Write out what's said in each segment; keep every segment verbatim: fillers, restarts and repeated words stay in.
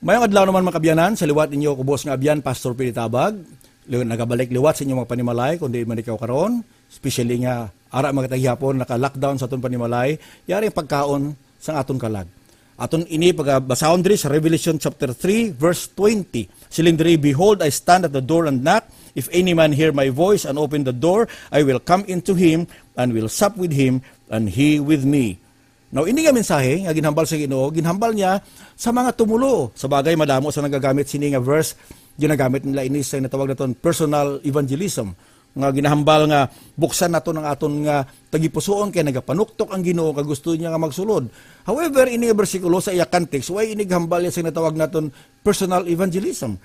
Mayong adlaw naman, mga kabyanan, sa liwat ninyo, kubos nga abyan, Pastor Pili Tabag. Li-, nagabalik liwat sa inyong mga panimalay, kung di man ikaw karon, especially nga ara, mga taghihapon, naka-lockdown sa aton panimalay, yari ang pagkaon sa aton kalag. Aton ini pagabasahon diri sa Revelation chapter three, verse twenty. Siling diri, "Behold, I stand at the door and knock. If any man hear my voice and open the door, I will come into him and will sup with him and he with me." Now, ini nga mensahe nga ginhambal sa Ginoo, ginhambal niya sa mga tumuluo. Sa bagay, madamo sa nagagamit sini nga verse, ginagamit nila ini sa natawag naton personal evangelism, nga ginahambal nga buksan naton ang aton nga tagipusoon, kay nagapanuktok ang Ginoo kag gusto niya nga magsulod. However, ini nga bersikulo sa iya context, wala ini gahambal niya sa natawag naton personal evangelism.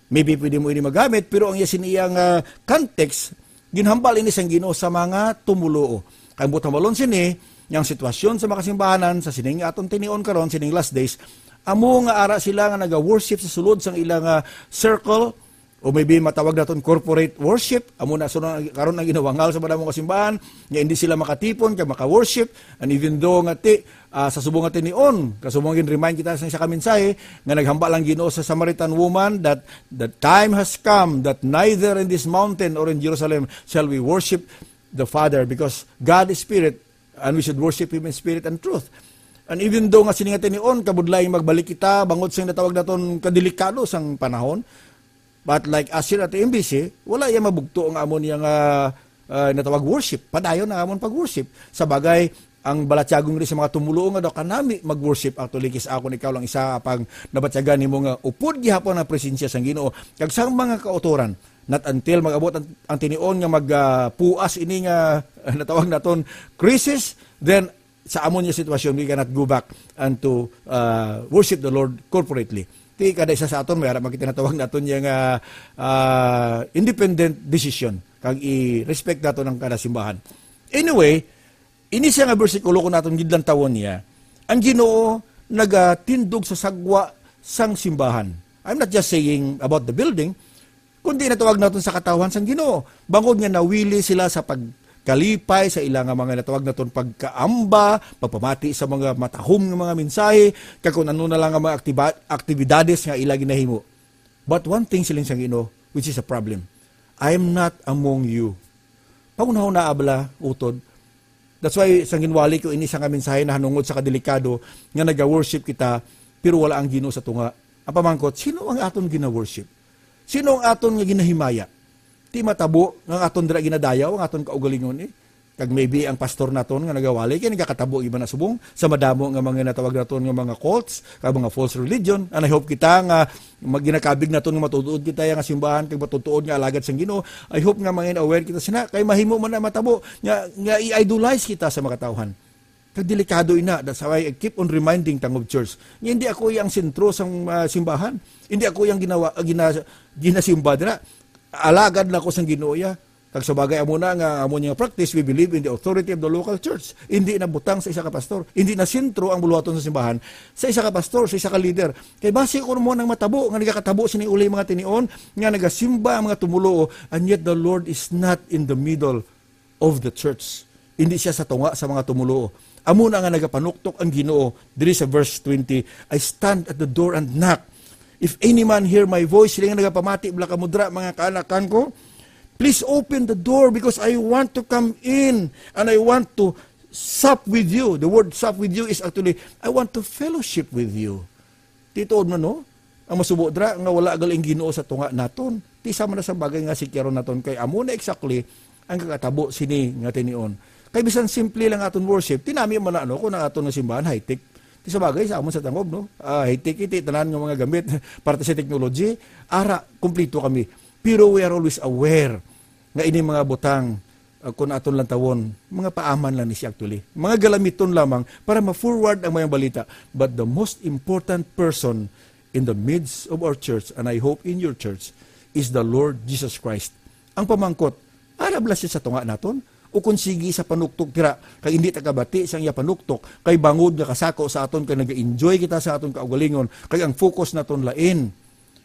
Maybe pwede mo ini magamit, pero ang iya sini iya nga context, ginhambal ini sang Ginoo sa mga tumuluo. Kay buot hambalon sini, nga ang sitwasyon sa mga kasimbahanan sa sining aton tinion karon, sining last days, amo nga ara sila nga naga-worship sa sulod sang ila nga circle, o maybe matawag naton corporate worship, amo na sunod ang, karon ang ginawangal sa madamo nga simbahan, nga hindi sila makatipon kay maka-worship, and even though nga ti, ah, sa subong nga tinion, kasubong gin-remind kita sa isa ka mensahe, nga naghambal ang Ginoo sa Samaritan woman that the time has come that neither in this mountain or in Jerusalem shall we worship the Father, because God is spirit, and we should worship Him in spirit and truth. And even though nga sini nga tinion, kabudlay magbalik kita, bangod sa natawag naton kadelikado sang panahon, but like us here at M B C, wala iya mabugto nga amon iya nga, ah, natawag worship. Padayon ang amon pag-worship. Sa bagay, ang balatyagon diri sa mga tumuluo nga daw kanami mag-worship, actually, kis ako, ikaw lang isa pang nabatyagan nimo nga upod gihapon ang presensya sang Ginoo kag sang mga kautoran. Not until mag-abot ang, ang tinion nga mag, ah, puas ini nga natawag naton crisis, then sa amon nga sitwasyon, we cannot go back and to, ah, worship the Lord corporately. Ti kada isa sa aton, may ara man kita natawag naton niya nga, ah, independent decision, kag i-respect naton ang kada simbahan. Anyway, ini siya nga bersikulo, kung naton gidlantawon niya, ang Ginoo nagatindog sa sagwa sang simbahan. I'm not just saying about the building, kundi natawag naton sa katawhan sang Ginoo. Bangod nga nawili sila sa pagkalipay sa ila nga mga natawag naton pagkaamba, pagpamati sa mga matahom nga mga mensahe, kag kung ano na lang nga mga aktiba-, aktibidades nga ila ginahimo. But one thing, siling sang Ginoo, which is a problem, "I am not among you." Panghunahuna bala, utod. That's why, sang ginwali ko ini sa nga mensahe nahanungod sa kadelikado nga naga-worship kita, pero wala ang Ginoo sa tunga. Ang pamangkot, sino ang aton gina-worship? Sino ang aton nga ginahimaya? Ti matabo nga ang aton dira ginadayaw ang aton kaugalingon, eh. Kag maybe ang pastor naton nga nagawali kay nagakatabo iba na subong sa madamo nga mga natawag naton nga mga cults, kag mga false religion. And I hope kita nga mag-, ginakabig naton nga matutuod kita nga simbahan kag matutuod nga alagad sang Ginoo. I hope nga mangin aware kita sina, kay mahimo man na matabo nga, nga i-idolize kita sa mga tawhan. Kag delikado ina, that's why I keep on reminding Tangub Church. Nga hindi ako yang sentro sang, ah, simbahan. Hindi ako yang ginawa, gina-, ginasimba dira. Alagad na ako sang Ginoo ya. Kag sa bagay, amo na nga, amo niya practice, we believe in the authority of the local church. Hindi na butang sa isa ka pastor. Hindi na sentro ang buluhaton sa simbahan sa isa ka pastor, sa isa ka leader. Kay basi ko mo nang matabo, nga nagakatabo sini uli mga tinion, nga nagasimba ang mga tumuluo, and yet the Lord is not in the middle of the church. Hindi siya sa tunga sa mga tumuluo. Amo na nga nagapanuktok ang Ginoo diri sa verse twenty, "I stand at the door and knock. If any man hear my voice," sila nga nagapamati, bala ka mudra, mga kaanakan ko, "please open the door because I want to come in and I want to sup with you." The word sup with you is actually, "I want to fellowship with you." Tituod man, no? Ang masubo dira nga wala gali ang Ginoo sa tunga naton. Ti sama na sa bagay nga sikyaron naton kay amo na exactly ang kakatabo sini nga tinion. Kay bisan simple lang aton worship, tinami man na, ano, kung ang aton nga simbahan high-tech. Ti sa bagay sa amon sa Tangub, no? Ah, high-tech iti tanan nga mga gamit parte sa technology, ara, kumplito kami. Pero we are always aware nga ini mga butang, uh, kun aton lantawon, mga paaman lang ni siya actually. Mga galamiton lamang para ma-forward ang mayang balita. But the most important person in the midst of our church, and I hope in your church, is the Lord Jesus Christ. Ang pamangkot, ara bala siya sa tunga naton? O kung sige sa panuktok tira, kay hindi ta kabati sang iya panuktok, kay bangod nga kasako sa aton, kay nag-enjoy kita sa aton kaugalingon, kay ang focus naton lain.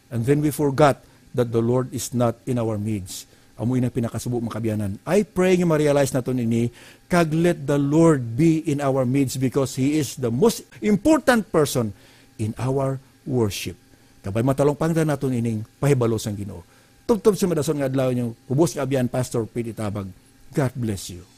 And then we forgot that the Lord is not in our midst. Amo ina pinakasubo, mga kabyanan. I pray nga ma-realize naton ini, kag let the Lord be in our midst because He is the most important person in our worship. Kabay matalong pangda naton ining pahibalo sang Ginoo. Tubtob sa madason nga adlaw ninyo, ubos nga abyan, Pastor Pete Tabag. God bless you.